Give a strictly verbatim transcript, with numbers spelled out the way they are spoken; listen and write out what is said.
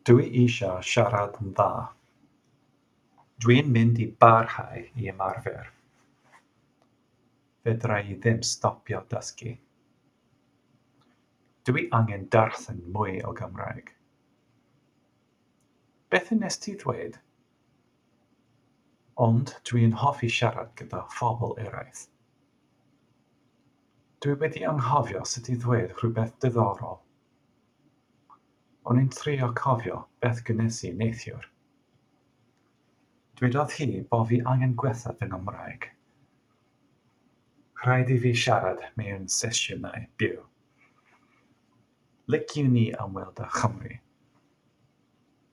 Dw i eisiau siarad yn dda. Dwi'n mynd i barhau i ymarfer. Fedra i ddim stopio dysgu. Dw i angen darllen mwy o Gymraeg. Beth wnest ti ddweud? Ond dw i'n hoffi siarad gyda phobl eraill. Dw i wedi anghofio sut i ddweud rhywbeth diddorol. O'n i'n trio cofio beth gwnes i neithiwr. Dwedodd hi bo' fi angen gwella fy Nghymraeg. Rhaid i fi siarad mewn sesiynau byw. Liciwn i ymweld â Chymru.